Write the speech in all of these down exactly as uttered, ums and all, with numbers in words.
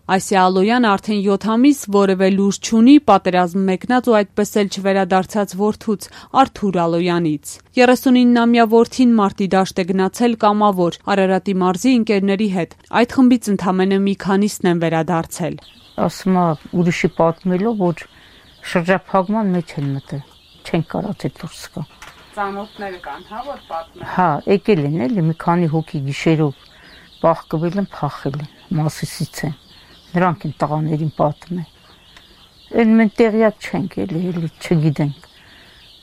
Այսիա Ալոյանը արդեն յոթ ամիս որևէ լուր չունի պատերազմ մեկնած ու այդպես էլ չվերադարձած որդուց Արթուր Ալոյանից։ երեսունինամյա որդին մարտի դաշտ է գնացել կամավոր Արարատի մարզի ընկերների հետ։ Այդ խմբից ընդամենը մի քանիսն են վերադարձել։ Ասում է ուրիշի պատմելով, որ շրջափակման մեջ են մտել, չեն կարած այդ դուրս գա։ Ծանոթները կան, հա, որ պատմեն։ Հա, եկել են էլի մի քանի հոգի գիշերով բախկվել են, փախել են, Մասիսից են։ Նրանք են տղաներին պատմել։ Այն մենք տեղյակ չենք էլի, էլի չգիտենք։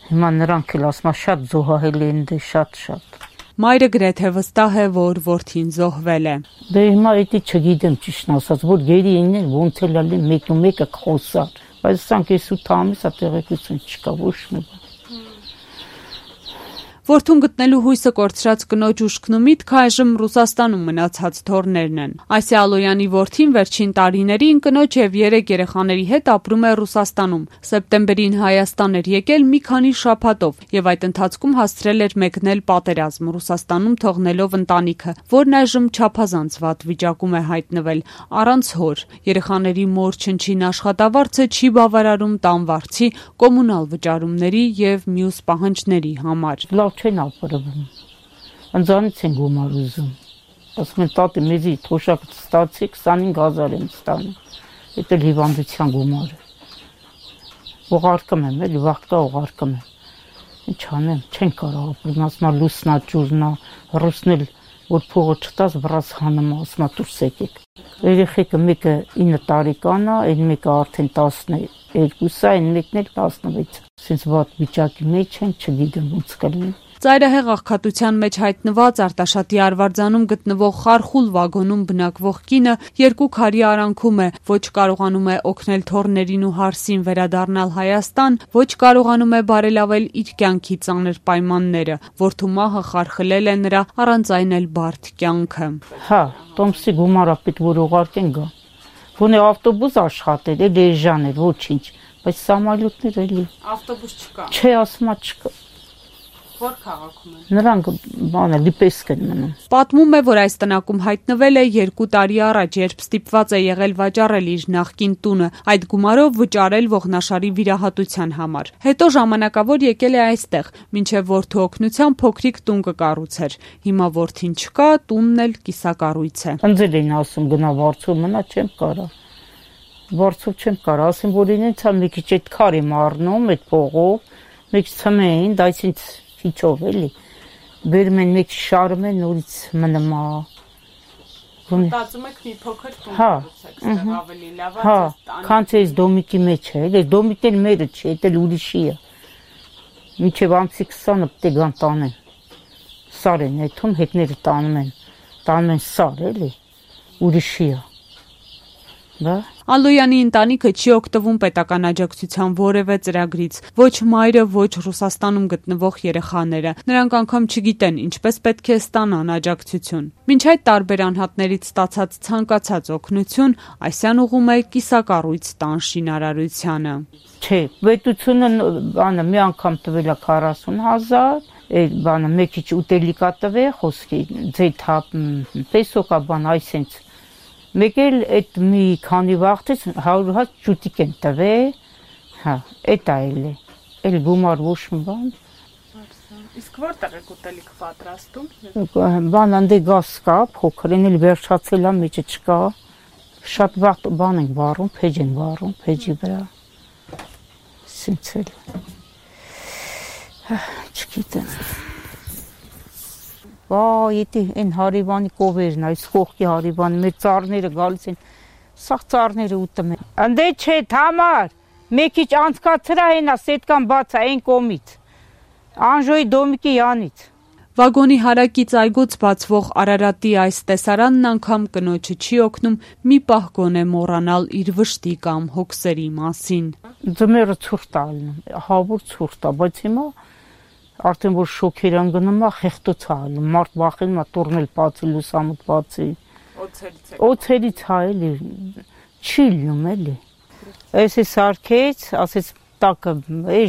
Հիմա նրանք էլ ասում են շատ զոհահել են դե շատ-շատ։ Մայրը գրեթե վստահ է, որ որդին զոհվել է։ Դե հիմա էդի չգիտեմ ճիշտն ասած, որ գերի ինեն ոնց էլ ալի մեկը մեկը խոսար, բայց սրանք եսուտ ամիս է տեղեկություն չկա ոչ մի բան։ Որդուն գտնելու հույսը կորցրած կնոջ ուշքն ու միտքը այժմ Ռուսաստանում մնացած թոռներն են։ Այսիա Ալոյանի որդին վերջին տարիներին կնոջ եւ երեք երեխաների հետ ապրում է Ռուսաստանում։ Սեպտեմբերին Հայաստան էր եկել մի քանի շաբաթով եւ այդ ընթացքում հասցրել էր մեկնել պատերազմ Ռուսաստանում թողնելով ընտանիքը, որն այժմ չափազանց վատ վիճակում է հայտնվել առանց հոր։ Երեխաների մոր չնչին աշխատավարձը չի բավարարում տան վարձի, կոմունալ վճարումների եւ մյուս պահանջների համար։ Չեն ապրվում, ընձանից են գումար ուզում, ասում են տատի մեզի թոշակը ստացի քսանհինգ հազար եմ ստանում, էդ էլ հիվանդության գումարը, ուղարկում եմ, էլի վաղկա ուղարկում եմ, ինչ անեմ, չեն կարող ապրում, ասում է լուսնա ջուրնա, ռուսն էլ որ փողը չտաս վրաս հանում, ասում է դուրս եկեք, երեխեքը մեկը ինը տարեկան է, այն մեկը արդեն տասներկու է, այն մեկն էլ տասնվեց, սենց վատ վիճակի մեջ են, չգիտեմ ոնց կլինի։ Ծայրահեղ աղքատության մեջ հայտնված Արտաշատի Արվարձանում գտնվող խարխուլ վագոնում բնակվող կինը երկու քարի արանքում է, ոչ կարողանում է օգնել թոռներին ու հարսին վերադառնալ Հայաստան, ոչ կարողանում է բարելավել իր կյանքի ծանր պայմանները, որդու մահը խարխլել է նրա առանց այն էլ բարդ կյանքը։ Հա, տոմսի գումարը պետք որ ուղարկեն գա։ Գոնե ավտոբուս աշխատել, էլ էժան էր, ոչինչ, բայց սամալյոտներ էլի։ Ավտոբուս չկա։ Չէ, ասում չկա։ Որ քաղաքում է։ Նրանք բանը լիպեսկ են մնում։ Պատմում է, որ այս տնակում հայտնվել է երկու տարի առաջ, երբ ստիպված է եղել վաճառել իր նախկին տունը, այդ գումարով վճարել ողնաշարի վիրահատության համար։ Հետո ժամանակավոր եկել է այստեղ, մինչև որդու օգնությամբ փոքրիկ տուն կկառուցեր։ Հիմա որդին չկա, տունն էլ կիսակառույց է։ Ընձել էին ասում գնա վարձով մնա, չեմ կարա։ Վարձով չեմ կարա, ասեմ որ ինձ հա մի քիչ այդ քար եմ առնում, այդ փողով, մի քիչ ցմեն, դա ինձ Իչով էլի, բերում են մեկ շարում են, նորից մնում է։ Մտածում եք մի փոքր տուն կառուցեք, ավելի լավ է։ Հա, քան թե այս դոմիկի մեջ է, էլի դոմիկն էլ մերը չէ, դա ուրիշի է։ Մինչև ամսի քսանը պետք է գան տանեն։ Սար են այդում, հետները տանում են, տանում են սար, էլի, ուրիշի է։ Բա Ալոյանի ընտանիքը չի օգտվում պետական աջակցության որևէ ծրագրից, ոչ մայրը, ոչ Ռուսաստանում գտնվող երեխաները։ Նրանք անգամ չգիտեն ինչպես պետք է ստանան աջակցություն։ Մինչ այդ տարբեր անհատներից ստացած ցանկացած օգնություն Այսյան ուղում է կիսակառույց տան շինարարությանը։ Չէ, պետությունը բանը մի անգամ տվել է քառասուն հազար, այդ բանը մի քիչ ուտելիքա տվել, խոսքի ձեթա պեսոկա բան այսենց Մեկ էլ այդ մի քանի վաղտից հարյուր հատ ճուտիկ են տվել, հա, էդ այլ է, էլ գումար ոչ մի բան։ Իսկ որտեղ եք ուտելիք պատրաստում։ Բան անդե գազ կա, փոքր են էլ վերջացել է, մեջը չկա, շատ վաղ բան ենք վառում, փեջ են վառում, փեջի վրա, սենց էլ, չգիտեմ։ Բա ետի են հարիվանի կովերն, այս խողքի հարիվանի, մեր ծառները գալիս են, սաղ ծառները ուտում են։ Անդե չէ, թամար, մեկ իչ անցկացրա հենա, սետկան բաց է, են կոմից, անժոյի դոմիկի յանից։ Վագոնի հարակից այգուց բացվող Արարատի այս տեսարանն անգամ կնոջը չի օգնում մի պահ գոնե մոռանալ իր վշտի կամ հոգսերի մասին։ Ձմեռը ցուրտ է ալնում, հավուր ցուրտ է, բայց հիմա արդեն որ շոքեր անգնում է, խեղտոց է ալնում, մարդ վախենում է տուրնել բացի, լուսամուտ բացի։ Օձերից է էլի, չի լյում էլի։ Այս է սարքեց, ասեց տակը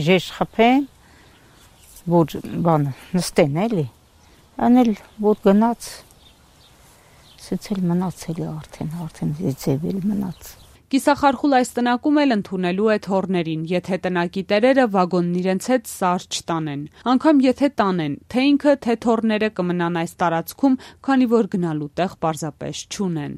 ժեշ խփեն, որ բանը նստեն էլի, անել որ գնաց, Սենց էլ մնացել է արդեն, արդեն ձևել մնաց։ Կիսախարխուլ այս տնակում էլ ընդունելու է թորներին, եթե տնակի տերերը վագոնն իրենց հետ սար չտանեն։ Անկամ եթե տանեն, թե ինքը, թե թորները կմնան այս տարածքում, քանի որ գնալու տեղ պարզապես չունեն։